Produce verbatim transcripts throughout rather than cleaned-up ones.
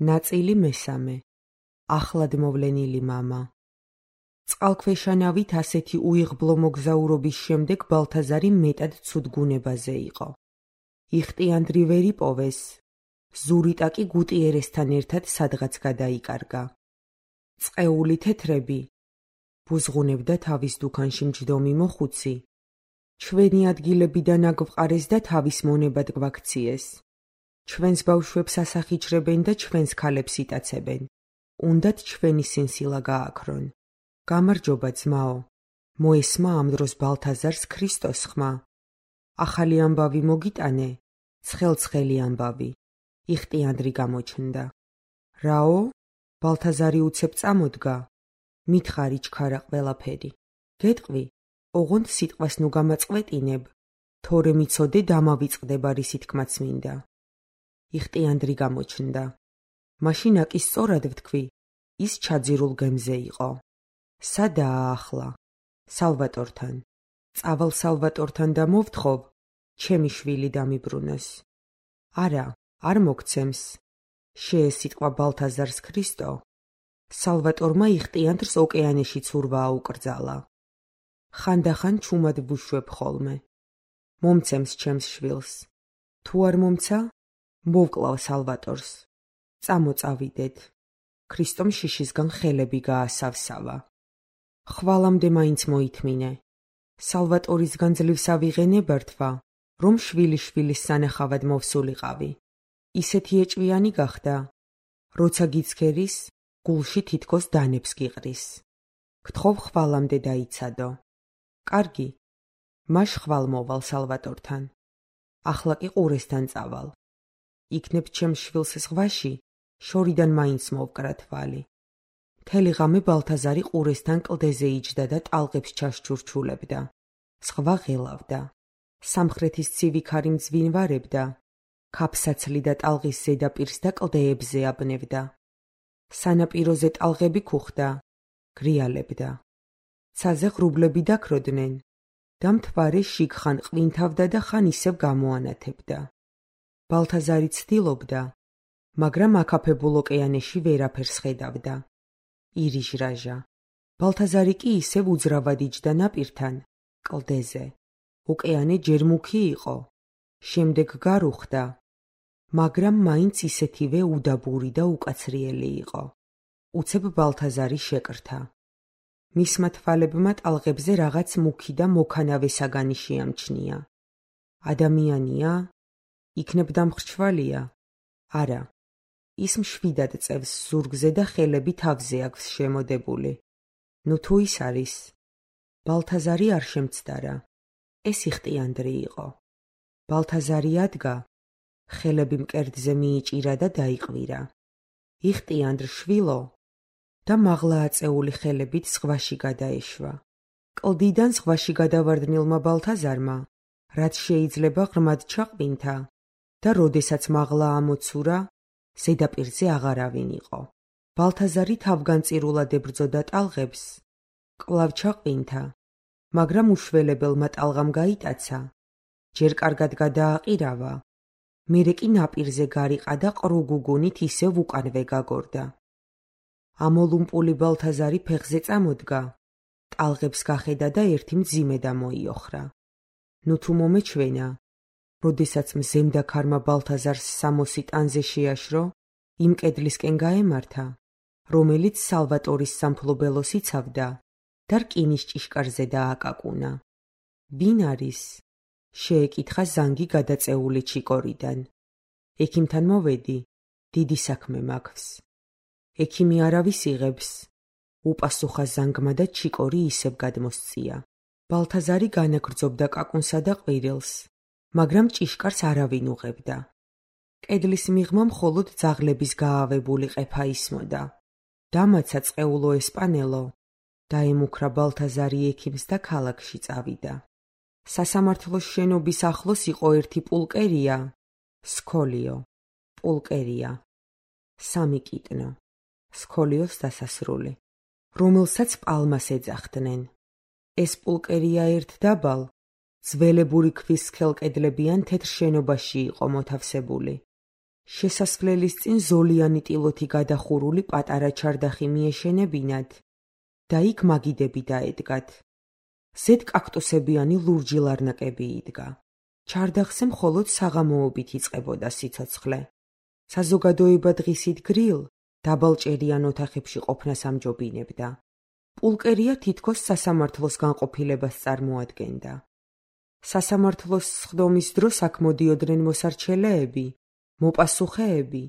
ნაწილი მესამე. ახლად მოვლენილი მამა. წყალქვეშანავით ასეთი უიღბლო მოგზაურობის შემდეგ ბალთაზარი მეტად ცუდგუნებაზე იყო. იხტიანდრი ვერ იპოვეს, ზურიტა კი გუტიერესთან ერთად სადღაც გადაიკარგა. წყეული თეთრები ბუზღუნებდა თავის დუქანში მჯდომი მოხუცი. ჩვენი ადგილებიდან აგვყარეს და თავის მონებად გვაქციეს. ჩვენს ბავშვებს ასახიჩრებენ და ჩვენს ქალებს იტაცებენ. უნდათ ჩვენი სინსილა გააქრონ. გამარჯობა ძმაო, მოესმა ამ დროს ბალთაზარს ქრისტოს ხმა. ახალი ამბავი მოგიტანე, ცხელ-ცხელი ამბავი. იხტიანდრი გამოჩნდა. რაო? ბალთაზარი უცებ წამოდგა. მითხარი ჩქარა ყველაფერი. გეტყვი, ოღონდ სიტყვას ნუ გამაწყვეტინებ, თორე მიცოდე დამავიწყდება რისი თქმაც მინდა. იხტიანდრი გამოჩნდა. მაშინ აკი სწორად ვთქვი, ის ჩაძირულ გემზე იყო. სადაა ახლა? სალვატორთან. წავალ სალვატორთან და მოვთხოვ, ჩემი შვილი დამიბრუნოს. არა, არ მოგცემს. შეესიტყვა ბალთაზარს ქრისტო. სალვატორმა იხტიანდრს ოკეანეში ცურვა აუკრძალა. ხანდახან ჩუმად ვუშვებ ხოლმე. მომცემს ჩემს შვილს. თუ არ მომცა, მოვკლავ სალვატორს. წამოწავიდეთ. ქრისტომ შიშისგან ხელები გაასავსავა. ხვალამდე მაინც მოითმინე. სალვატორისგან ძლივს ავიღენებართვა, რომ შვილი შვილის სანახავად მოვსულიყავი. ისეთი ეჭვიანი გახდა, როცა გიცქერის, გულში თითქოს დანებს გიყრის. გთხოვ ხვალამდე დაიცადო. კარგი, მაშ ხვალ მოვალ სალვატორთან. ახლა კი ყურესთან წავალ. იქნებ ჩემს შვილს ზღვაში, შორიდან მაინც მოვკრა თვალი. მთელი ღამე ბალთაზარი ყურესთან კლდეზე იჯდა და ტალღებს ჩაშჩურჩულებდა. ზღვა ღელავდა. სამხრეთის ცივი ქარი მძვინვარებდა. ქაფსაცლი და ტალღის ზედაპირს და კლდეებზე აბნევდა. სანაპიროზე ტალღები ქუხდა, გრიალებდა. ცაზე ღრუბლები დაქროდნენ და მთვარე შიგ ხან ყვინთავდა და ხან ისევ გამოანათებდა. ბალთაზარი ცდილობდა, მაგრამ აკაფებულ ოკეანეში ვერაფერს ხედავდა. ირიჟრაჟა. ბალთაზარი კი ისევ უძრავად იჯდა ნაპირთან, კლდეზე. ოკეანე ჯერ მუქი იყო, შემდეგ გარუხდა, მაგრამ მაინც ისეთივე უდაბური და უკაცრიელი იყო. უცებ ბალთაზარი შეკრთა. მისმა თვალებმა ტალღებზე რაღაც მუქი და მოქანავე საგანი შეამჩნია. ადამიანია? იქნებ დამხრჩვალია? არა. ის მშვიდად წევს ზურგზე და ხელები თავზე აქვს შემოდებული. ნუ თუ ის არის. ბალთაზარი არ შემცდარა. ეს იხტიანდრი იყო. ბალთაზარი ადგა, ხელები მკერდზე მიიჭირა და დაიყვირა. იხტიანდრ შვილო და მაღლა აწეული ხელებით ზღვაში გადაეშვა. კლდიდან ზღვაში გადავარდნილმა ბალთაზარმა, რაც შეიძლება ღრმად ჩაყვინთა და როდესაც მაღლა ამოცურა, ზედაპირზე აღარავინ იყო. ბალთაზარი თავგანწირულად ებრძოდა ტალღებს, კვლავ ჩაყვინთა, მაგრამ უშველებელმა ტალღამ გაიტაცა, ჯერ კარგად გადააყირავა, მერე კი ნაპირზე გარიყა და ყრუ-გუგუნით ისევ უკანვე გაგორდა. ამოლუმპული ბალთაზარი ფეხზე წამოდგა, ტალღებს გახედა და ერთი მძიმე დამოიოხრა. ნუ თუ მომეჩვენა, როდესაც მზემდა ქარმა ბალთაზარს სამოსი ტანზე შეაშრო, იმ კედლისკენ გაემართა, რომელიც სალვატორის სამფლობელოს იცავდა და რკინის ჭიშკარზე დააკაკუნა. ვინ არის? შეეკითხა ზანგი გადაწეული ჩიკორიდან. ექიმთან მოვედი, დიდი საქმე მაქვს. ექიმი არავის იღებს, უპასუხა ზანგმა და ჩიკორი ისევ გადმოსწია. ბალთაზარი განაგრძობდა კაკუნსა და ყვირილს, მაგრამ ჭიშკარს არავინ უღებდა. კედლის მიღმა მხოლოდ ძაღლების გაავებული ყეფა ისმოდა. დამაცა წყეულო ესპანელო, დაემუქრა ბალთაზარი ექიმს და ქალაქში წავიდა. სასამართლოს შენობის ახლოს იყო ერთი პულკერია, სქოლიო, პულკერია, სამი კიტნო, სქოლიოს დასასრული, რომელსაც პალმას ეძახდნენ. ეს პულკერია ერთ დაბალ, ძველებური ქვის სქელკედლებიან თეთრ შენობაში იყო მოთავსებული. შესასვლელის წინ ზოლიანი ტილოთი გადახურული პატარა ჩარდახი მიეშენებინათ და იქ მაგიდები დაედგათ. ზედ კაქტუსებიანი ლურჯი ლარნაკები იდგა. ჩარდახზე მხოლოდ საღამოობით იწყებოდა სიცოცხლე. საზოგადოება დღისით გრილ დაბალჭერიან ოთახებში ყოფნას ამჯობინებდა. პულკერია თითქოს სასამართლოს განყოფილებას წარმოადგენდა. სასამართლოს სხდომის დროს აქ მოდიოდნენ მოსარჩელეები, მოპასუხეები,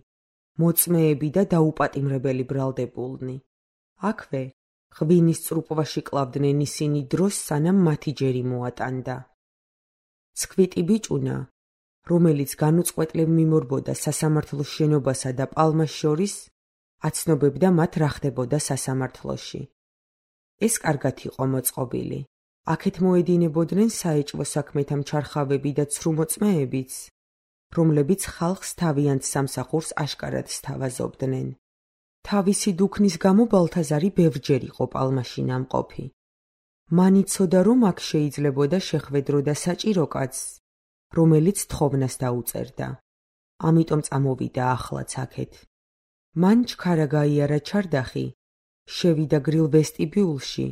მოწმეები და დაუპატიმრებელი ბრალდებულნი. აქვე ღვინის წრუპვაში კლავდნენ ისინი დროს, სანამ მათი ჯერი მოატანდა. ცქვიტი ბიჭუნა, რომელიც განუწყვეტლივ მიმორბოდა სასამართლოს შენობასა და პალმას შორის, აცნობებდა მათ რა ხდებოდა სასამართლოში. ეს კარგად იყო მოწყობილი. აქეთ მოედინებოდნენ საეჭვო საქმეთა მჩარხავები და ცრუმოწმეებიც, რომლებიც ხალხს თავიანთ სამსახურს აშკარად სთავაზობდნენ. თავისი დუქნის გამო ბალთაზარი ბევრჯერ იყო პალმაში ნამყოფი. მან იცოდა, რომ აქ შეიძლებოდა შეხვედრო და საჭირო კაცს, რომელიც თხოვნას დაუწერდა. ამიტომ წამოვიდა ახლაც აქეთ. მან ჩქარა გაიარა ჩარდახი, შევიდა გრილ ვესტიბიულში,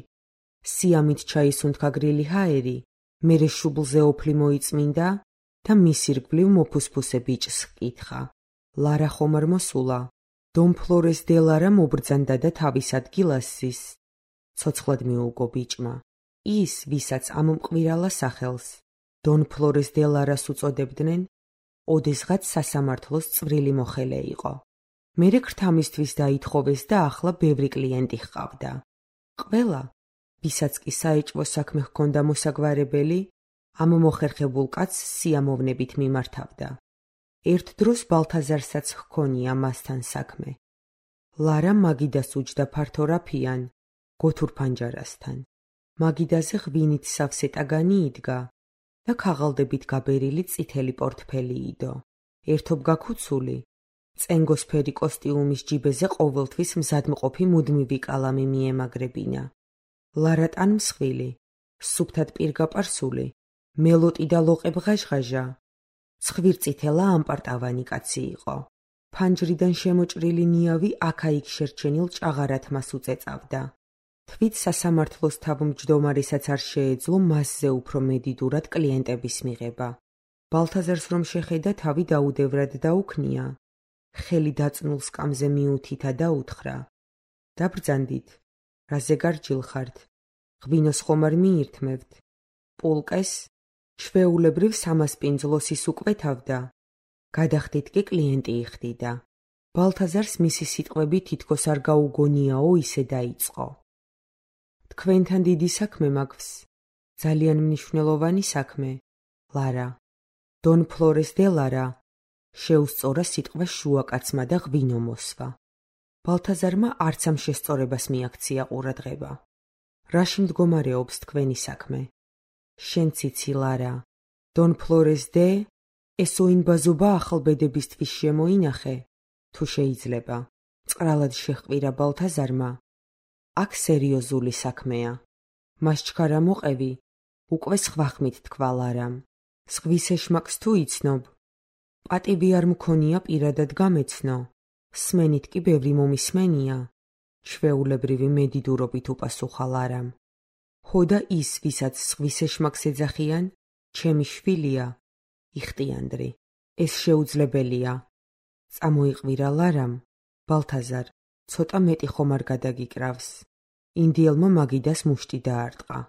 სიამით ჩაისუნთქა გრილი ჰაერი, მერე შუბლზე ოფლი მოიწმინდა და მის ირგვლივ მოფუსფუსე ბიჭს ჰკითხა. ლარა ხომ არ მოსულა? დონ ფლორეს დე ლარა მობრძანდა და თავის ადგილას ზის. ცოცხლად მიუგო ბიჭმა. ის, ვისაც ამ მკვირალა სახელს დონ ფლორეს დე ლარას უწოდებდნენ, ოდესღაც სასამართლოს წვრილი მოხელე იყო. მერე ქრთამისთვის დაითხოვეს და ახლა ბევრი კლიენტი ჰყავდა. ყველა, ვისაც კი საეჭვო საქმე ჰქონდა მოსაგვარებელი, ამ მოხერხებულ კაცს სიამოვნებით მიმართავდა. ერთ დროს ბალთაზარსაც ჰქონია მასთან საქმე. ლარა მაგიდას უჯდა ფართო რაფიან, გოთურ ფანჯარასთან. მაგიდაზე ღვინით სავსე ტაგანი იდგა და ქაღალდებით გაბერილი წითელი პორტფელი იდო. ერთობ გაქუცული, წენგოსფერი კოსტიუმის ჯიბეზე ყოველთვის მზადმყოფი მუდმივი კალამი მიემაგრებინა. ლარატან მსხვილი, სუფთად პირგაპარსული, მელოტი და ლოყებ ღაჟღაჟა, ცხვირწითელა ამპარტავანი კაცი იყო. ფანჯრიდან შემოჭრილი ნიავი აქა-იქ შერჩენილ ჭაღარად მას უწეწავდა. თვით სასამართლოს თავმჯდომარესაც არ შეეძლო მასზე უფრო მედიდურად კლიენტების მიღება. ბალთაზარს რომ შეხედა, თავი დაუდევრად დაუქნია. ხელი დაწნულ სკამზე მიუთითა და უთხრა: „დაბრძანდით, რაზე გარჯილხართ? ღვინოს ხომ არ მიირთმევთ? პულკეს ჩვეულებრივ სამას პინძლოსის უკვეთავდა. გადახდით კი კლიენტი იხდიდა. ბალთაზარს მისი სიტყვები თითქოს არ გაუგონიაო, ისე დაიწყო. თქვენთან დიდი საქმე მაქვს, ძალიან მნიშვნელოვანი საქმე, ლარა. დონ ფლორეს დე ლარა შეუსწორა სიტყვა შუაკაცმა და ღვინო მოსვა. ბალთაზარმა არც ამ შესწორებას მიაქცია ყურადღება. რაში მდგომარეობს თქვენი საქმე? შენ ციცი, ლარა. დონ ფლორეს დე ეს ოინბაზობა ახალბედებისთვის შემოინახე, თუ შეიძლება. წყრალად შეჰყვირა ბალთაზარმა. აქ სერიოზული საქმეა. მას ჩქარა მოყევი, უკვე სხვა ხმით თქვა ლარამ. ზღვის ეშმაკს თუ იცნობ? პატივი არ მქონია პირადად გამეცნო. სმენით კი ბევრი მომისმენია. ჩვეულებრივი მედიდურობით უპასუხა ლარამ. ხო და ის, ვისაც ზღვის ეშმაკს ეძახიან, ჩემი შვილია, იხტიანდრი. ეს შეუძლებელია. წამოიყვირა ლარამ. ბალთაზარ, ცოტა მეტი ხომ არ გადაგიკრავს. ინდიელმა მაგიდას მუშტი დაარტყა.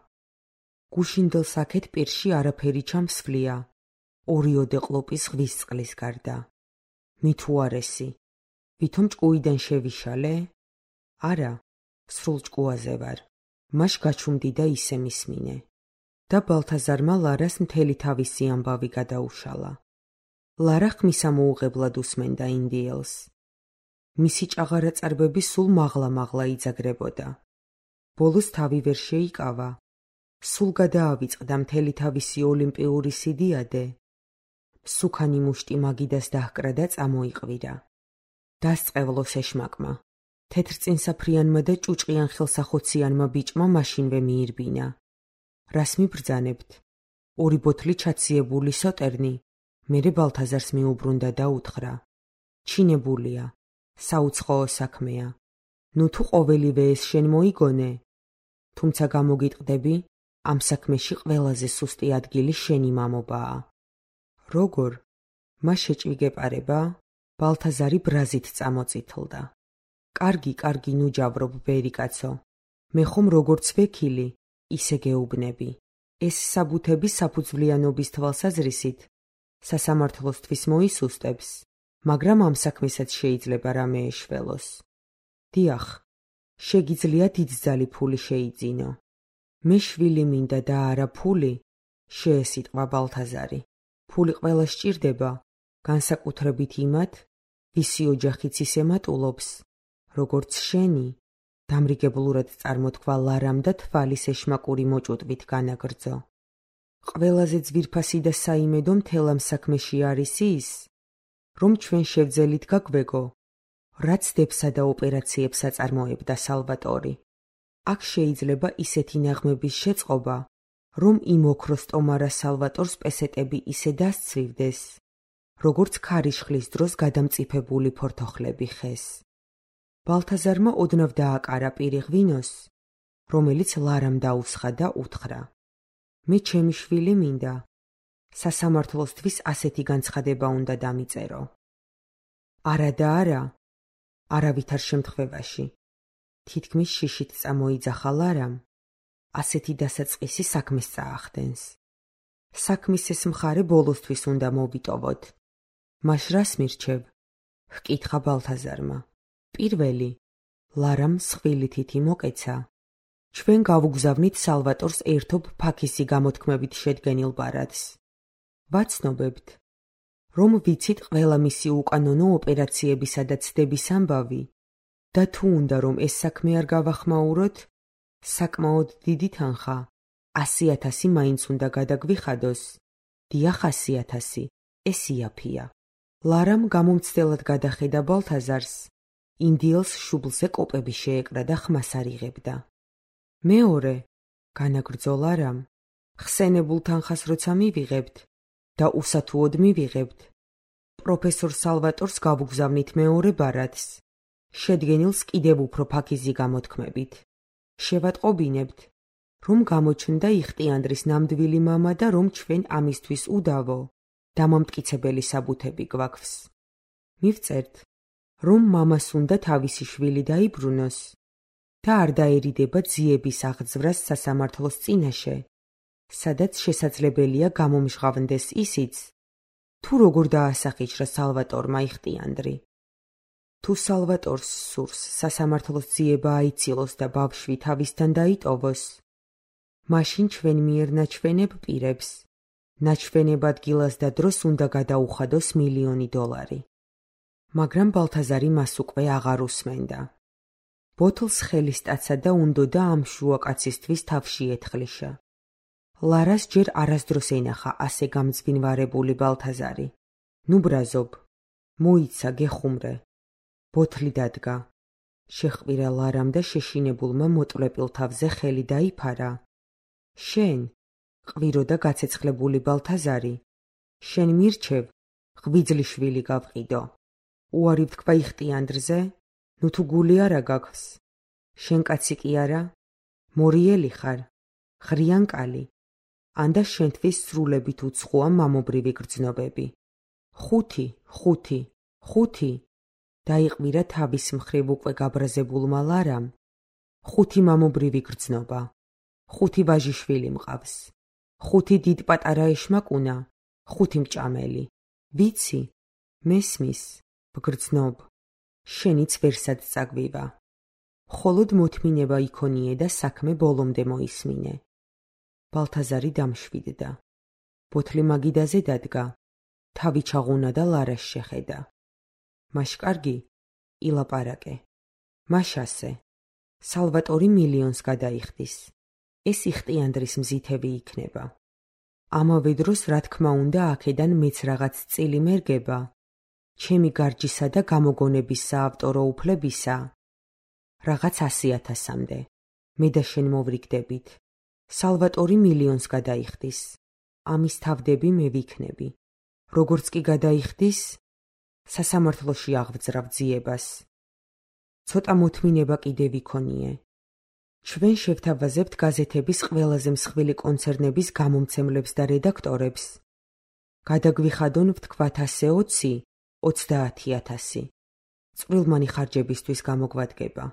გუშინდელ საქეთ პირში არაფერი ჩამსვლია. ორიოდე ყლოპის ზღვის წყლის გარდა. მით უარესი. ვითომ ჭკუიდან შევიშალე? არა, სრულ ჭკუაზე ვარ. მაშ გაჩუმდი და ისე მისმინე. და ბალთაზარმა ლარას მთელი თავისი ამბავი გადაუშალა. ლარა ხმისამოუღებლად უსმენდა ინდიელს. მისი ჭაღარაწარბები სულ მაღლა-მაღლა იძაგრებოდა. ბოლოს თავი ვერ შეიკავა. სულ გადაავიწყდა მთელი თავისი ოლიმპიური სიდიადე. სუქანი მუშტი მაგიდას დაჰკრა და წამოიყვირა. დასწყევლოს ეშმაკმა. თეთრწინსაფრიანმა და ჭუჭყიან ხელსახოციანმა ბიჭმა მაშინვე მიირბინა. რას მიბრძანებთ? ორი ბოთლი ჩაციებული სოტერნი. მერე ბალთაზარს მიუბრუნდა და უთხრა: ჩინებულია, საუცხოო საქმეა. ნუ თუ ყოველივე ეს შენ მოიგონე, თუმცა გამოგიტყდები, ამ საქმეში ყველაზე სუსტი ადგილი შენი მამობაა. როგორ? მას შეჭვიგეპარება? ბალთაზარი ბრაზით წამოწითლდა. კარგი, კარგი, ნუ ჯავრობ, ბერი კაცო. მე ხომ როგორც ვექილი, ისე გეუბნები. ეს საბუთები საფუძვლიანობის თვალსაზრისით სასამართლოსთვის მოისუსტებს, მაგრამ ამ საქმესაც შეიძლება რამე ეშველოს. დიახ, შეგიძლია დიდძალი ფული შეიძინო. მე შვილი მინდა და არა ფული, შეესიტყვა ბალთაზარი. ფული ყველა სჭირდება, განსაკუთრებით იმათ, ვისი ოჯახიც ისე მატულობს, როგორც შენი, დამრიგებლურად წარმოთქვა ლარამ და თვალის ეშმაკური მოჭუტვით განაგრძო. ყველაზე ძვირფასი და საიმედო მთელ ამ საქმეში არის ის, რომ ჩვენ შევძელით გაგვეგო, რაც დებსა და ოპერაციებს აწარმოებდა სალვატორი. აქ შეიძლება ისეთი ნაღმების შეწყობა, რომ იმ ოქროს ტომარა სალვატორს პესეტები ისე დასცვივდეს, როგორც ქარიშხლის დროს გადამწიფებული ფორთოხლები ხეს. ბალთაზარმა ოდნავ დააკარა პირი ღვინოს, რომელიც ლარამ დაუსხა და უთხრა: მე ჩემი შვილი მინდა, სასამართლოსთვის ასეთი განცხადება უნდა დამიწერო. არა და არა, არავითარ შემთხვევაში. თითქმის შიშით წამოიძახა ლარამ, ასეთი დასაწყისი საქმეს წაახდენს. საქმის ეს მხარე ბოლოსთვის უნდა მოვიტოვოთ. მას რას მირჩევ? ჰკითხა ბალთაზარმა. პირველი, ლარამ მსხვილი თითი მოკეცა. ჩვენ გავუგზავნით სალვატორს ერთობ ფაქისი გამოთქმებით შედგენილ ბარათს. ვაცნობებთ, რომ ვიცით ყველა მისი უკანონო ოპერაციებისა და ცდების ამბავი და თუ უნდა რომ ეს საქმე არ გავახმაუროთ, საკმაოდ დიდი თანხა, ასი ათასი მაინც უნდა გადაგვიხადოს. დიახ, ასი ათასი, ეს იაფია. ლარამ გამომცდელად გადახედა ბალთაზარს, ინდიელს შუბლზე კოპები შეეკრა და ხმას არ იღებდა. მეორე, განაგრძო ლარამ, ხსენებულ თანხას როცა მივიღებთ და უსათუოდ მივიღებთ, პროფესორ სალვატორს გავუგზავნით მეორე ბარათს, შედგენილს კიდევ უფრო ფაქიზი გამოთქმებით. შევატყობინებთ, რომ გამოჩნდა იხტიანდრის ნამდვილი მამა და რომ ჩვენ ამისთვის უდავო, დამამტკიცებელი საბუთები გვაქვს. მივწერთ, რომ მამას უნდა თავისი შვილი დაიბრუნოს და არ დაერიდება ძიების აღძვრას სასამართლოს წინაშე, სადაც შესაძლებელია გამომჟღავნდეს ისიც, თუ როგორ დაასახიჩრა სალვატორმა იხტიანდრი. თუ სალვატორს სურს სასამართლოს ძიება აიცილოს და ბავშვი თავისთან დაიტოვოს, მაშინ ჩვენ მიერ ნაჩვენებ პირებს, ნაჩვენებ ადგილას და დროს უნდა გადაუხადოს მილიონი დოლარი. მაგრამ ბალთაზარი მას უკვე აღარ უსმენდა. ბოთლს ხელისტაცა და უნდოდა ამ შუა კაცისთვის თავში ეთხლიშა. ლარას ჯერ არასდროს ენახა ასე გამძვინვარებული ბალთაზარი. ნუ ბრაზობ, მოიცა, გეხუმრე. ბოთლი დადგა. შეჰყვირა ლარამ და შეშინებულმა მოტვლებილ თავზე ხელი დაიფარა. შენ, ყვირო და გაცეცხლებული ბალთაზარი, შენ მირჩევ, ღვიძლი შვილი გავყიდო. უარი ვთქვა იხტიანდრზე, ნუ თუ გული არა გაქვს. შენ კაცი კი არა? მორიელი ხარ, ხრიანკალი, ანდა შენთვის სრულებით უცხოა მამობრივი გრძნობები. ხუთი, ხუთი, ხუთი, დაიყვირა თავის მხრივ უკვე გაბრაზებულმა ლარამ. ხუთი მამობრივი გრძნობა, ხუთი ვაჟიშვილი მყავს, ხუთი დიდ პატარა ეშმაკუნა, ხუთი მჭამელი. ვიცი, მესმის, ვგრძნობ, შენიც ვერსად წაგვივა. მხოლოდ მოთმინება იქონიე და საქმე ბოლომდე მოისმინე. ბალთაზარი დამშვიდდა. ბოთლი მაგიდაზე დადგა, თავი ჩაღუნა და ლარას შეხედა. მაშკარგი, ილაპარაკე. მაშასე, სალვატორი მილიონს გადაიხდის. ეს იხტიანდრის მზითები იქნება. ამავე დროს, რა თქმა უნდა, აქედან მეც რაღაც წილი მერგება, ჩემი გარჯისა და გამოგონების საავტორო უფლებისა, რაღაც ასი ათასამდე. მე და შენ მოვრიგდებით. სალვატორი მილიონს გადაიხდის. ამის თავდები მე ვიქნები. როგორც კი გადაიხდის, სასამართლოში აღვძრავ ძიებას. ცოტა მოთმინება კიდევ იქონიე. ჩვენ შევთავაზებთ გაზეთების ყველაზე მსხვილი კონცერნების გამომცემლებს და რედაქტორებს. გადაგვიხადონ ვთქვათ ასე ოცი, ოცდაათი ათასი. წყვილმანი ხარჯებისთვის გამოგვადგება.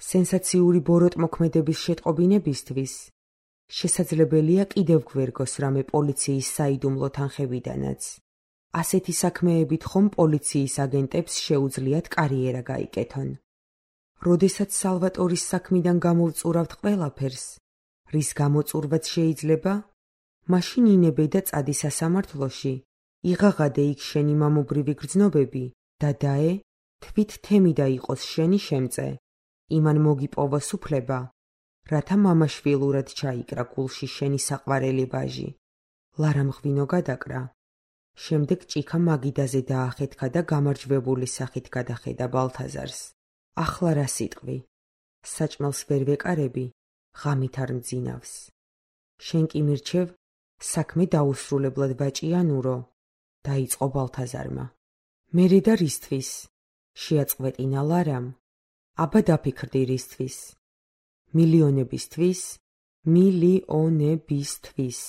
სენსაციური ბოროტმოქმედების შეტყობინებისთვის შესაძლებელია კიდევ გვერგოს რამე პოლიციის საიდუმლო თანხებიდანაც. ასეთი საქმეებით ხომ პოლიციის აგენტებს შეუძლიათ კარიერა გაიკეთონ. როდესაც სალვატორის საქმიდან გამოვწურავთ ყველაფერს, რის გამოწურვაც შეიძლება, მაშინ ინებე და წადი სასამართლოში, იღაღადე იქ შენი მამობრივი გრძნობები და დაე, თვით თემიდა იყოს შენი შემწე, იმან მოგიპოვოს უფლება, რათა მამაშვილურად ჩაიკრა გულში შენი საყვარელი ვაჟი. ლარამ ღვინო გადაკრა. შემდეგ ჭიქა მაგიდაზე დაახეთქა და გამარჯვებული სახით გადახედა ბალთაზარს. ახლა რა სიტყვი? საჭმელს ვერ ვეკარები, ღამით არ მძინავს. შენ კი მირჩევ, საქმე დაუსრულებლად ვაჭიანურო, დაიწყო ბალთაზარმა. მერე და რისთვის? შეაწყვეტინა ლარამ. აბა დაფიქრდი რისთვის? მილიონებისთვის, მილიონებისთვის.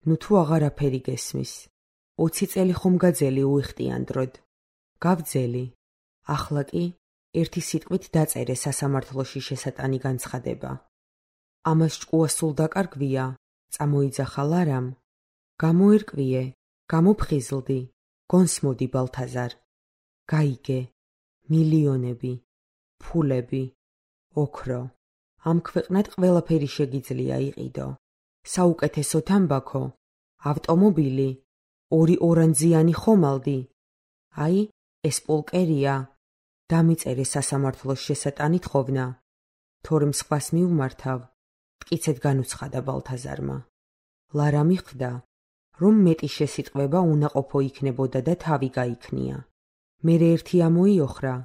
ნუ თუ აღარაფერი გესმის. ოცი წელი ხომ გაძელი უიხტიანდროდ. გავძელი. ახლა კი ერთი სიტყვით დაწერე სასამართლოში შესატანი განცხადება. ამას ჭკუა სულ დაკარგვია, წამოიძახა ლარამ. გამოერკვიე, გამოფხიზლდი, გონსმოდი ბალთაზარ. გაიგე, მილიონები, ფულები, ოქრო. ამ ქვეყნად ყველაფერი შეგიძლია იყიდო. საუკეთესო თამბაქო, ავტომობილი, ორი ორანძიანი ხომალდი. აი, ეს პოლკერია. დამიწერე სასამართლოს შესატანი თხოვნა. თორემ სხვას მიუმართავ, მტკიცედ განუცხადა ბალთაზარმა. ლარა მიხვდა, რომ მეტი შესიტყვება უნაყოფო იქნებოდა და თავი გაიქნია. მერე ერთი ამოიოხრა,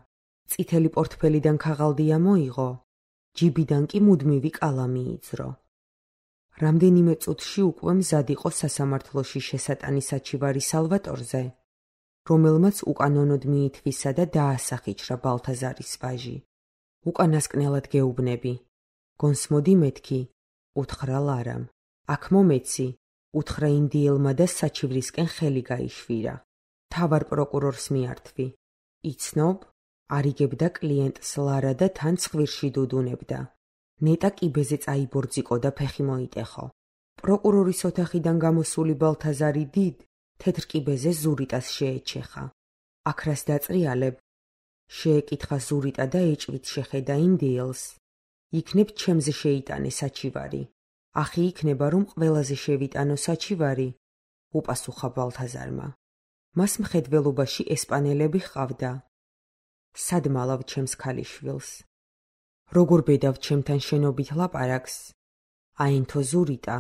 წითელი პორტფელიდან ქაღალდი ამოიღო, ჯიბიდან კი მუდმივი კალამი იძრო. რამდენიმე წუთში უკვე მზად იყო სასამართლოში შესატანი საჩივარი სალვატორზე, რომელმაც უკანონოდ მიითვისა და დაასახიჩრა ბალთაზარის ვაჟი. უკანასკნელად გეუბნები. გონსმოდი მეთქი, უთხრა ლარამ. აქ მომეცი, უთხრა ინდიელმა და საჩივრისკენ ხელი გაიშვირა. თავარ პროკურორს მიართვი. იცნობ, არიგებდა კლიენტს ლარა და თან ცხვირში დუდუნებდა. ნეტა კიბეზე წაიბორძიკო და ფეხი მოიტეხო. პროკურორის ოთახიდან გამოსული ბალთაზარი დიდ, თეთრ კიბეზე ზურიტას შეეჩეხა. აქრას დაწრიალებ. შეეკითხა ზურიტა და ეჭვით შეხედა ინდიელს. იქნებ ჩემზე შეიტანე საჩივარი. ახი იქნება, რომ ყველაზე შევიტანო საჩივარი, უპასუხა ბალთაზარმა. მას მხედველობაში ესპანელები ჰყავდა. სად მალავ ჩემს ქალიშვილს? როგორ ბედავ ჩემთან შენობით ლაპარაკს? აინთო ზურიტა.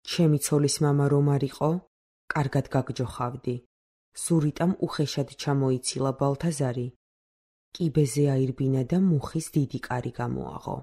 ჩემი ცოლის მამა რომ არ იყო, კარგად გაგჯოხავდი. ზურიტამ უხეშად ჩამოიცილა ბალთაზარი. კიბეზე აირბინა და მუხის დიდი კარი გამოაღო.